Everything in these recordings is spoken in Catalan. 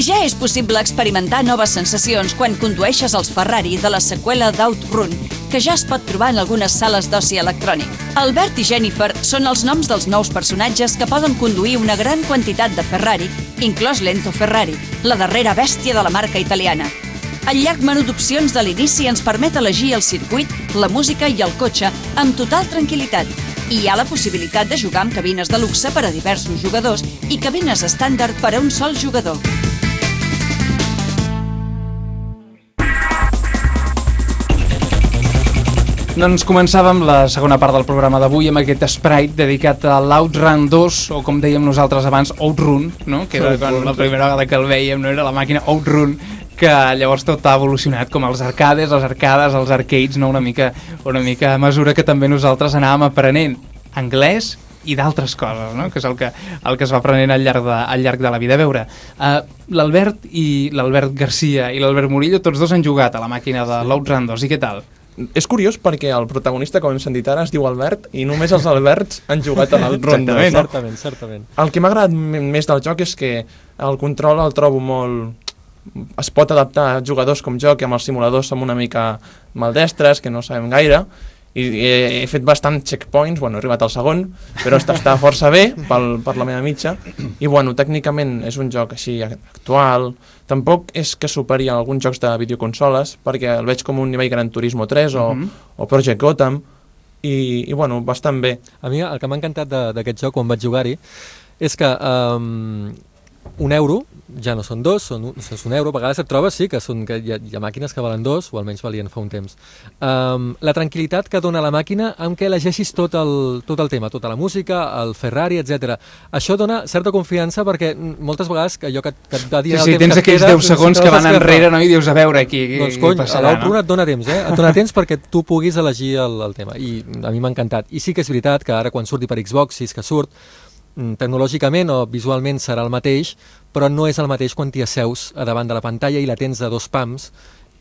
Ja és possible experimentar noves sensacions quan condueixes els Ferrari de la seqüela d'Outrun, que ja es pot trobar en algunes sales d'oci electrònic. Albert i Jennifer són els noms dels nous personatges que poden conduir una gran quantitat de Ferrari, inclòs l'Enzo Ferrari, la darrera bèstia de la marca italiana. El llarg menú d'opcions de l'inici ens permet elegir el circuit, la música i el cotxe amb total tranquil·litat. I hi ha la possibilitat de jugar amb cabines de luxe per a diversos jugadors i cabines estàndard per a un sol jugador. Doncs començàvem la segona part del programa d'avui amb aquest sprite dedicat a l'Outrun 2, o com dèiem nosaltres abans, Outrun, no? Que era la primera vegada que el veiem, no era la màquina Outrun, que llavors tot ha evolucionat com els arcades, les arcades, els arcades, no? Una mica a mesura que també nosaltres anàvem aprenent anglès i d'altres coses, no? Que és el que es va aprenent al llarg de la vida. A veure, l'Albert Garcia i l'Albert Murillo, tots dos han jugat a la màquina de l'Outrun 2, i què tal? És curiós perquè el protagonista, com hem sentit ara, es diu Albert i només els Alberts han jugat a l'Outrun 2. Certament. El que m'ha agradat més del joc és que el control el trobo molt... Es pot adaptar a jugadors com jo, que amb els simuladors som una mica maldestres, que no sabem gaire, i he fet bastant checkpoints, he arribat al segon, però està força bé per la meva mitja, i tècnicament és un joc així actual. Tampoc és que superi alguns jocs de videoconsoles, perquè el veig com un nivell Gran Turismo 3 o Project Gotham, i bastant bé. A mi el que m'ha encantat d'aquest joc quan vaig jugar-hi és que €1 ja no són dos, és €1. A vegades et trobes, sí, que hi ha màquines que valen 2, o almenys valien fa un temps. La tranquil·litat que dona la màquina amb què elegeixis tot el tema, tota la música, el Ferrari, etc. Això dona certa confiança perquè moltes vegades allò que et va dir el temps que et queda... tens aquells 10 segons que van enrere, no? I dius, a veure, aquí doncs cony, passarà, a l'Outrun et dona temps, et dona temps perquè tu puguis elegir el tema. I a mi m'ha encantat. I sí que és veritat que ara quan surti per Xbox, si és que surt, tecnològicament o visualment serà el mateix, però no és el mateix quan t'hi asseus a davant de la pantalla i la tens a 2 pams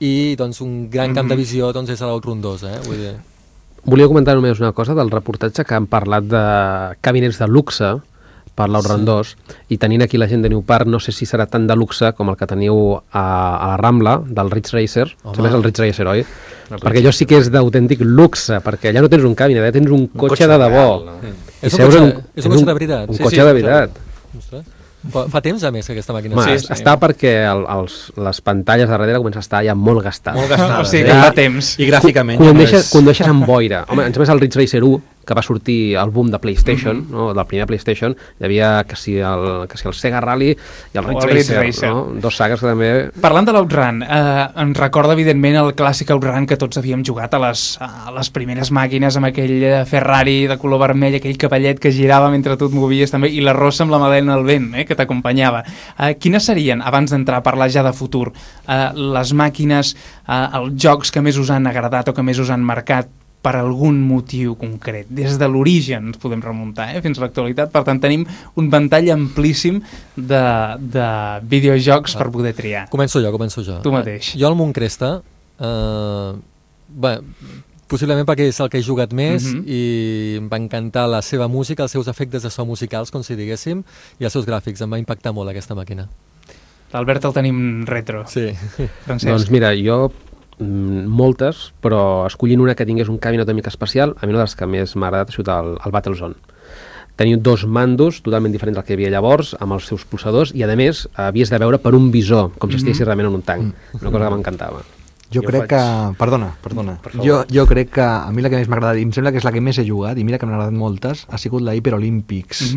i doncs un gran camp de visió és a l'Outrun 2. Vull dir... Volia comentar només una cosa del reportatge que han parlat de cabinets de luxe per l'Outrun 2 i tenint aquí la gent de New Park no sé si serà tan de luxe com el que teniu a la Rambla del Ridge Racer. Sembla és el Ridge Racer, oi? Perquè allò sí que és d'autèntic luxe, perquè allà no tens un cabinet, tens un cotxe de debò. És un cotxe de veritat. Un cotxe de veritat. Fa temps, a més, que aquesta màquina... Està perquè les pantalles de darrere comencen a estar ja molt gastades. Molt gastades, o sigui que fa temps. I gràficament... Condueixes amb boira. Home, ens més el Ridge Racer 1, que va sortir el boom de PlayStation, no? Del primer PlayStation, hi havia que si el Sega Rally i el Ridge Racer, no? Dos sagues que també... Parlant de l'Outrun, em recorda evidentment el clàssic Outrun que tots havíem jugat a les primeres màquines amb aquell Ferrari de color vermell, aquell cavallet que girava mentre tu et movies també, i la rossa amb la Madeleine al vent, que t'acompanyava. Quines serien, abans d'entrar a parlar ja de futur, les màquines, els jocs que més us han agradat o que més us han marcat per algun motiu concret? Des de l'origen ens podem remuntar fins a l'actualitat. Per tant, tenim un ventall amplíssim de videojocs per poder triar. Començo jo. Tu mateix. Jo al Montcresta, possiblement perquè és el que he jugat més i em va encantar la seva música, els seus efectes de so musicals, com si diguéssim, i els seus gràfics. Em va impactar molt aquesta màquina. L'Albert el tenim retro. Sí. Francesc. Doncs mira, jo moltes, però escollint una que tingués un cabinet una mica especial, a mi una de les que més m'ha agradat ha sigut el Battlezone. Teniu 2 mandos totalment diferents del que hi havia llavors, amb els seus pulsadors, i a més havies de veure per un visor, com si estiguessis realment en un tanc. Una cosa que m'encantava. Jo crec que... Perdona. Jo crec que a mi la que més m'ha agradat, i em sembla que és la que més he jugat, i mira que m'han agradat moltes, ha sigut la Hyper Olympics,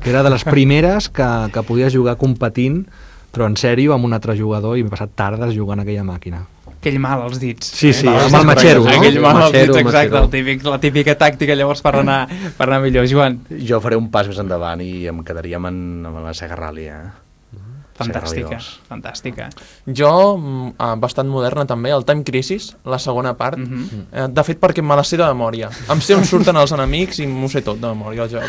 que era de les primeres que podies jugar competint, però en sèrio, amb un altre jugador, i m'he passat tardes jugant a aquella màquina. Aquell mal als dits. Sí, amb el matxero. Aquell mal als dits, exacte, la típica tàctica llavors per anar millor. Joan? Jo faré un pas més endavant i em quedaria amb la Sega Rally, Fantàstica. Jo, bastant moderna també, el Time Crisis, la segona part, de fet perquè me la sé de memòria. Em sé on surten els enemics i m'ho sé tot de memòria, el joc.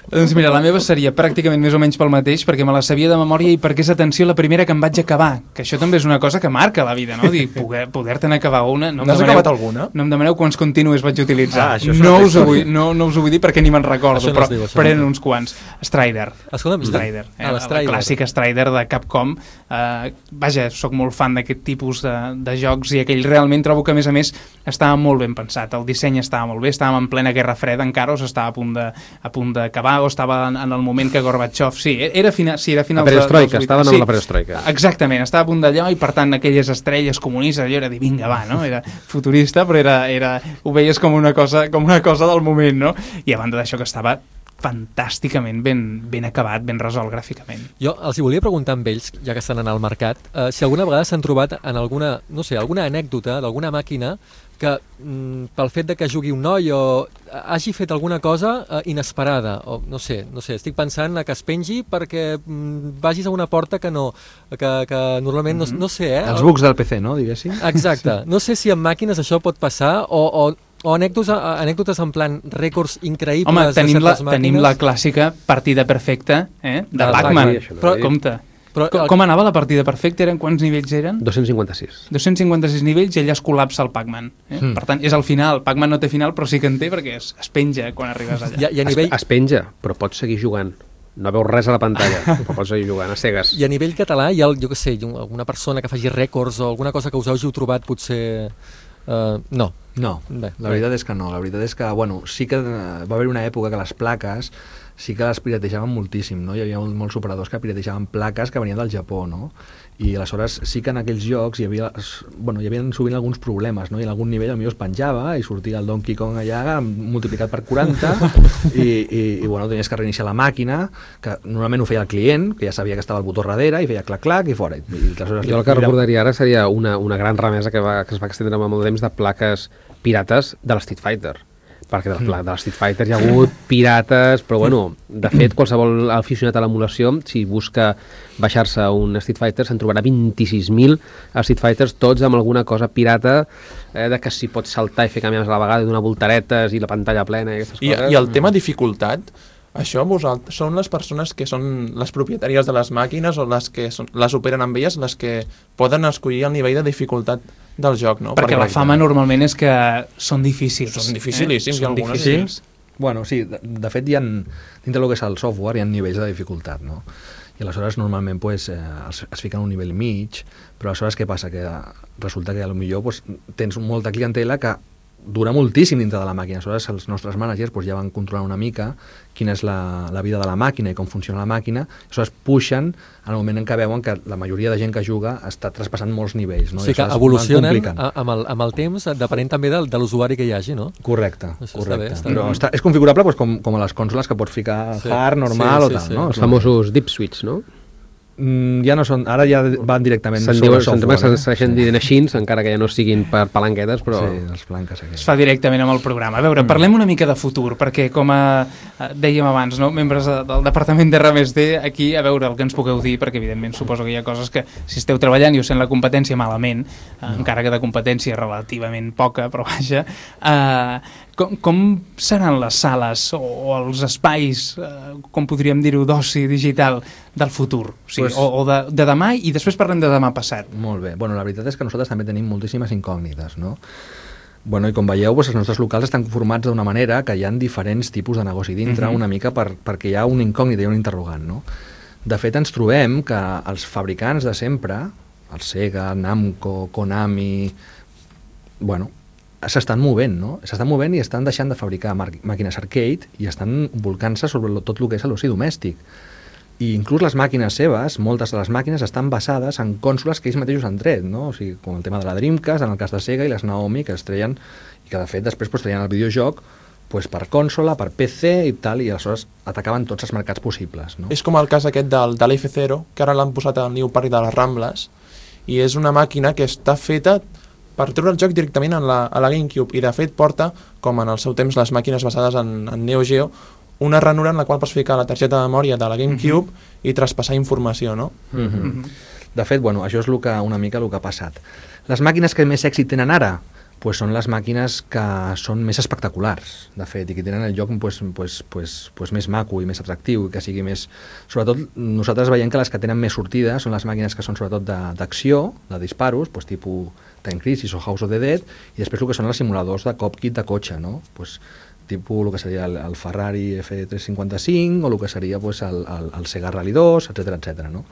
Doncs mira, la meva seria pràcticament més o menys pel mateix, perquè me la sabia de memòria i perquè és, atenció, la primera que em vaig acabar, que això també és una cosa que marca la vida, no? Dir, poder-te'n acabar una... N'has acabat alguna? No em demaneu quants continues vaig utilitzar. Això no us ho vull dir perquè ni me'n recordo, però eren uns quants. Strider. Strider. El clàssic Strider de Capcom. Vaja, sóc molt fan d'aquest tipus de jocs i aquell realment trobo que, a més, estava molt ben pensat. El disseny estava molt bé, estàvem en plena Guerra Freda encara, o s'estava a punt d'acabar, o estava en el moment que Gorbachev... Sí, era final la perestroika, estaven amb la perestroika. Exactament, estava a punt d'allò i, per tant, aquelles estrelles comunistes, allò era dir, vinga, va, no? Era futurista, però ho veies com una cosa del moment, no? I a banda d'això que estava fantàsticament ben acabat, ben resolt gràficament. Jo els hi volia preguntar amb ells, ja que estan en el mercat, si alguna vegada s'han trobat en alguna anècdota d'alguna màquina que pel fet de que jugui un noi o hagi fet alguna cosa inesperada, o no sé, estic pensant que es pengi perquè vagis a una porta que normalment no sé, Els bugs del PC, no, diguéssim? Exacte. No sé si en màquines això pot passar o anècdotes en plan rècords increïbles. Home, tenim la clàssica partida perfecta de Pac-Man, però compte. Com anava la partida perfecta? Quants nivells eren? 256. 256 nivells i allà es col·lapsa el Pac-Man. Per tant, és al final. Pac-Man no té final, però sí que en té perquè es penja quan arribes allà. Es penja, però pots seguir jugant. No veus res a la pantalla, però pots seguir jugant a cegues. I a nivell català hi ha, jo què sé, alguna persona que faci rècords o alguna cosa que us hàgiu trobat potser... No. No, la veritat és que no. La veritat és que, bueno, sí que va haver una època que les plaques sí que les piratejaven moltíssim, no? Hi havia molts operadors que piratejaven plaques que venien del Japó, no? I aleshores sí que en aquells jocs hi havia sovint alguns problemes, no? I en algun nivell potser es penjava i sortia el Donkey Kong allà multiplicat per 40 i bueno, tenies que reiniciar la màquina, que normalment ho feia el client, que ja sabia que estava el botó darrere i feia clac-clac i fora. Jo el que recordaria ara seria una gran remesa que es va extendre amb molt temps de plaques pirates de l'Street Fighter, perquè de l'Street Fighter hi ha hagut pirates, però bueno, de fet qualsevol aficionat a l'emulació, si busca baixar-se un Street Fighter, se'n trobarà 26.000 Street Fighters, tots amb alguna cosa pirata, de que si pots saltar i fer canvis a la vegada, donar voltaretes i la pantalla plena i aquestes coses. I el tema dificultat, això vosaltres són les persones que són les propietàries de les màquines o les que les operen amb elles, les que poden escollir el nivell de dificultat del joc, no? Perquè la fama normalment és que són difícils. Són dificilíssims, són difícils. Bueno, sí, de fet dintre del que és el software hi ha nivells de dificultat, no? I aleshores normalment es fiquen un nivell mig, però aleshores què passa? Que resulta que potser tens molta clientela que dura moltíssim dintre de la màquina. Aleshores els nostres managers ja van controlar una mica quina és la vida de la màquina i com funciona la màquina, aleshores puixen en el moment en què veuen que la majoria de gent que juga està traspassant molts nivells, no? O sigui que evolucionen amb el temps, depenent també de l'usuari que hi hagi, no? Correcte. Però és configurable com a les consoles que pots ficar hard, normal o tal, no? Els famosos deep switch, no? Ja no són, ara ja van directament sobre software. Se'n segueixen dient així, encara que ja no siguin per palanquetes, però... Sí, les palanques es fa directament amb el programa. A veure, parlem una mica de futur, perquè com dèiem abans, no? Membres del departament d'R+D, aquí, a veure el que ens pugueu dir, perquè evidentment suposo que hi ha coses que si esteu treballant i us sent la competència malament, encara que de competència relativament poca, però vaja, com seran les sales o els espais, com podríem dir-ho, d'oci digital del futur? O sigui, o de demà, i després parlem de demà passat. Molt bé. Bueno, la veritat és que nosaltres també tenim moltíssimes incògnites, no? Bueno, i com veieu, els nostres locals estan formats d'una manera que hi ha diferents tipus de negoci dintre, una mica perquè hi ha una incògnita i un interrogant, no? De fet, ens trobem que els fabricants de sempre, el Sega, Namco, Konami, bueno, s'estan movent, no? S'estan movent i estan deixant de fabricar màquines arcade i estan volcant-se sobre tot el que és l'oci domèstic. I inclús les màquines seves, moltes de les màquines estan basades en cònsoles que ells mateixos han tret, no? O sigui, com el tema de la Dreamcast, en el cas de Sega, i les Naomi, que es treien, i que de fet després treien el videojoc per consola, per PC i tal, i aleshores atacaven tots els mercats possibles, no? És com el cas aquest de l'F0, que ara l'han posat al New Park de les Rambles, i és una màquina que està feta per treure el joc directament a la GameCube, i de fet porta, com en el seu temps les màquines basades en Neo Geo, una ranura en la qual pots ficar la targeta de memòria de la GameCube i traspassar informació, no? De fet, bueno, això és una mica el que ha passat. Les màquines que més èxit tenen ara, pues són les màquines que són més espectaculars, de fet, i que tenen el joc més maco i més atractiu, i que sigui més... Sobretot, nosaltres veiem que les que tenen més sortida són les màquines que són sobretot d'acció, de disparos, tipus Time Crisis o House of the Dead, i després el que són els simuladors de cockpit de cotxe, no? Tipus el que seria el Ferrari F355 o el que seria el Sega Rally 2, etc, no?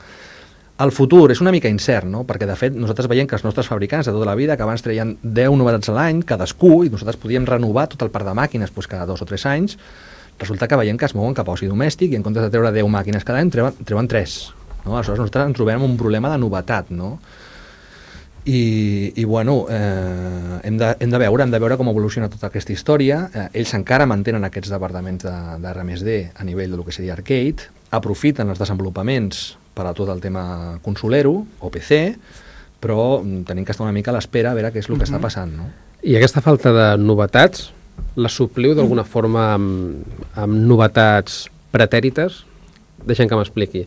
El futur és una mica incert, no? Perquè de fet nosaltres veiem que els nostres fabricants de tota la vida, que abans treien 10 novetats a l'any, cadascú, i nosaltres podíem renovar tot el parc de màquines cada 2 o 3 anys, resulta que veiem que es mouen cap a oci domèstic i en comptes de treure 10 màquines cada any treuen 3. No? Aleshores nosaltres ens trobem un problema de novetat, no? I bueno, hem de veure com evoluciona tota aquesta història. Ells encara mantenen aquests departaments de R+D a nivell del que seria arcade, aprofiten els desenvolupaments per a tot el tema consolero o PC, però tenim que estar una mica a l'espera a veure què és el que està passant, no? I aquesta falta de novetats la supliu d'alguna forma amb novetats pretèrites? Deixem que m'expliqui.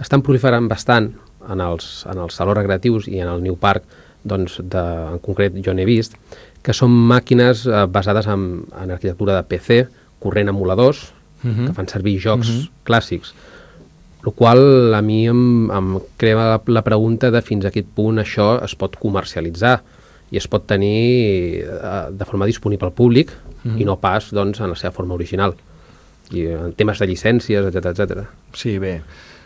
Estan proliferant bastant en els salons recreatius i en el New Park, doncs en concret jo n'he vist, que són màquines basades en arquitectura de PC, corrent emuladors, que fan servir jocs clàssics, el qual a mi em crea la pregunta de fins a quin punt això es pot comercialitzar i es pot tenir de forma disponible al públic i no pas doncs, en la seva forma original. I en temes de llicències, etc. Sí, bé.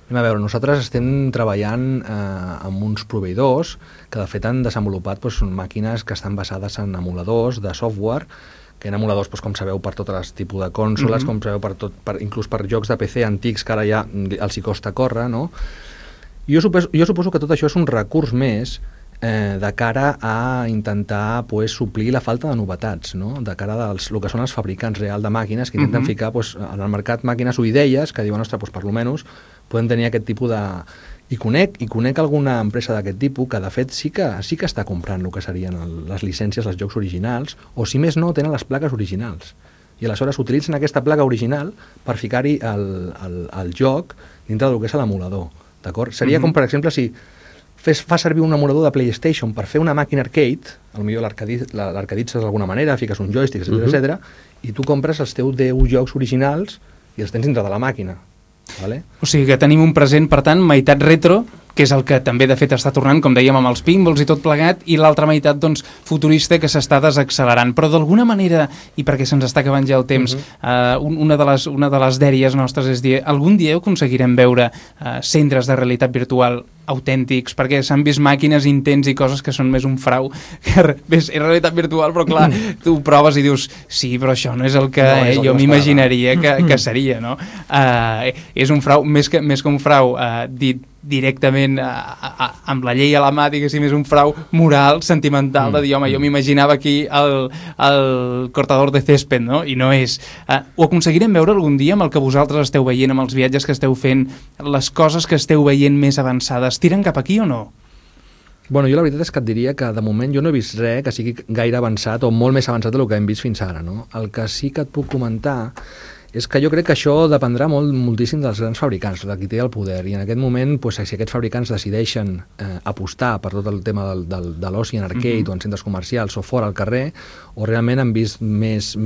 A veure, nosaltres estem treballant amb uns proveïdors que de fet han desenvolupat màquines que estan basades en emuladors de software, que en emuladors, com sabeu, per tots els tipus de cònsoles, com sabeu, inclús per jocs de PC antics que ara ja els hi costa córrer, no? Jo suposo que tot això és un recurs més de cara a intentar suplir la falta de novetats, no? De cara a el que són els fabricants reals de màquines que intenten ficar en el mercat màquines o idees que diuen, ostres, per almenys podem tenir aquest tipus de... I conec alguna empresa d'aquest tipus que de fet sí que està comprant el que serien les llicències dels jocs originals, o si més no tenen les plaques originals, i aleshores utilitzen aquesta placa original per ficar-hi el joc dintre del que és l'emulador, d'acord? Seria com, per exemple, si fa servir un emulador de PlayStation per fer una màquina arcade, potser l'arcaditzes d'alguna manera, fiques un joystick, etc, i tu compres els teus 10 jocs originals i els tens dintre de la màquina. Vale? O sigui que tenim un present, per tant, meitat retro, que és el que també de fet està tornant, com dèiem, amb els pinballs i tot plegat, i l'altra meitat doncs, futurista que s'està desaccelerant. Però d'alguna manera, i perquè se'ns està acabant ja el temps, una de les dèries nostres és dir, algun dia aconseguirem veure centres de realitat virtual autèntics, perquè s'han vist màquines intents i coses que són més un frau, que és realitat virtual, però clar, tu ho proves i dius, sí, però això no és el que jo m'imaginaria que seria, no? És un frau, més que un frau dit directament amb la llei a la mà, diguéssim, és un frau moral, sentimental, de dir, home, jo m'imaginava aquí el cortador de césped, no? I no és. Ho aconseguirem veure algun dia amb el que vosaltres esteu veient, amb els viatges que esteu fent, les coses que esteu veient més avançades, tiren cap aquí o no? Bueno, jo la veritat és que et diria que de moment jo no he vist res que sigui gaire avançat o molt més avançat del que hem vist fins ara, no? El que sí que et puc comentar és que jo crec que això dependrà moltíssim dels grans fabricants, de qui té el poder, i en aquest moment, si aquests fabricants decideixen apostar per tot el tema de l'oci en arcade o en centres comercials o fora al carrer, o realment han vist més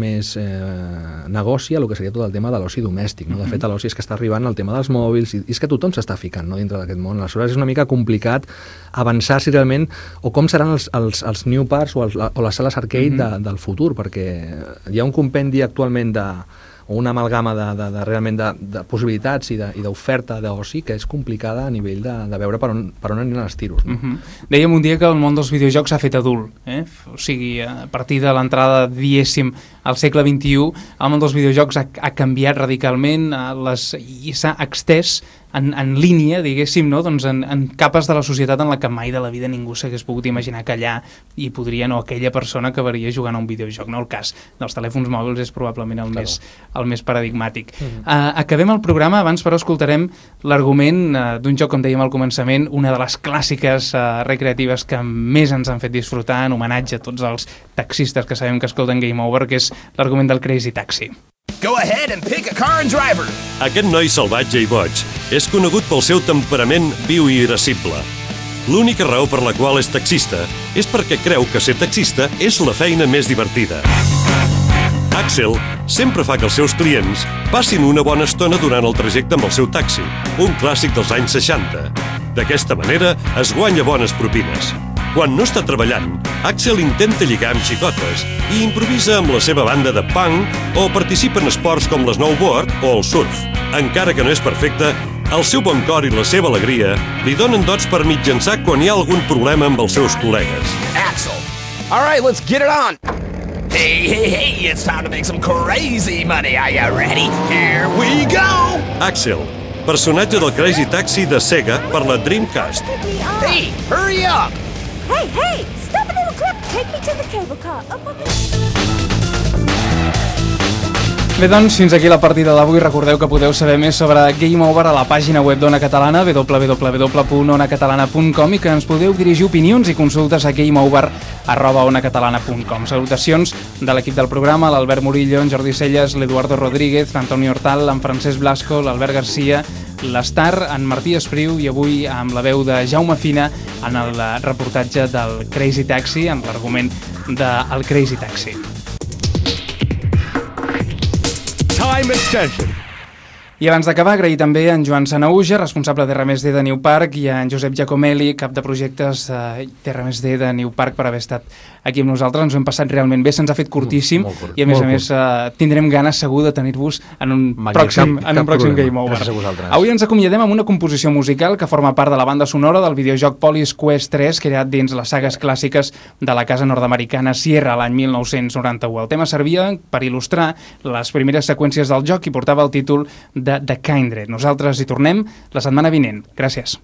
negoci a el que seria tot el tema de l'oci domèstic, no? De fet, l'oci és que està arribant al tema dels mòbils, i és que tothom s'està ficant, no, dintre d'aquest món. Aleshores és una mica complicat avançar si realment, o com seran els new parks o les sales arcade del futur, perquè hi ha un compendi actualment o una amalgama realment de possibilitats i d'oferta d'oci que és complicada a nivell de veure per on aniran els tiros. No? Dèiem un dia que el món dels videojocs s'ha fet adult, o sigui, a partir de l'entrada, diguéssim, al segle XXI, el món dels videojocs ha canviat radicalment i s'ha extès en línia, diguéssim, no? Doncs en capes de la societat en la que mai de la vida ningú s'hagués pogut imaginar que allà hi podria, no, aquella persona acabaria jugant a un videojoc, no? El cas dels telèfons mòbils és probablement el més paradigmàtic. Acabem el programa, abans però escoltarem l'argument d'un joc, com dèiem al començament, una de les clàssiques recreatives que més ens han fet disfrutar, en homenatge a tots els taxistes que sabem que escolten Game Over, que és l'argument del Crazy Taxi. Go ahead and pick a car and driver. Aquest noi salvatge i boig és conegut pel seu temperament viu i irascible. L'única raó per la qual és taxista és perquè creu que ser taxista és la feina més divertida. Axel sempre fa que els seus clients passin una bona estona durant el trajecte amb el seu taxi, un clàssic dels anys 60. D'aquesta manera es guanya bones propines. Quan no està treballant, Axel intenta lligar amb xicotes i improvisa amb la seva banda de punk o participa en esports com l'snowboard o el surf. Encara que no és perfecte, el seu bon cor i la seva alegria li donen dots per mitjançar quan hi ha algun problema amb els seus col·legues. Axel. All right, let's get it on. Hey, it's time to make some crazy money. Are you ready? Here we go. Axel, personatge del Crazy Taxi de Sega per la Dreamcast. Hey, hurry up. Hey, stop a little clip. Take me to the cable car. Bé, doncs, fins aquí la partida d'avui. Recordeu que podeu saber més sobre Game Over a la pàgina web d'Ona Catalana, www.onacatalana.com, i que ens podeu dirigir opinions i consultes a gameover@onacatalana.com. Salutacions de l'equip del programa, l'Albert Murillo, en Jordi Celles, l'Eduardo Rodríguez, l'Antoni Hortal, en Francesc Blasco, l'Albert Garcia, l'Estar, en Martí Espriu, i avui amb la veu de Jaume Fina en el reportatge del Crazy Taxi, en l'argument del Crazy Taxi. Time extension. I abans d'acabar, agrair també a en Joan Sanauja, responsable de R+D de New Park, i a en Josep Giacomelli, cap de projectes de R+D de New Park, per haver estat aquí amb nosaltres. Ens ho hem passat realment bé, se'ns ha fet curtíssim, i a més tindrem ganes segur de tenir-vos en un pròxim Game Over. Avui ens acomiadem amb una composició musical que forma part de la banda sonora del videojoc Police Quest 3, creat dins les sagues clàssiques de la casa nord-americana Sierra l'any 1991. El tema servia per il·lustrar les primeres seqüències del joc i portava el títol de The Kindred. Nosaltres hi tornem la setmana vinent. Gràcies.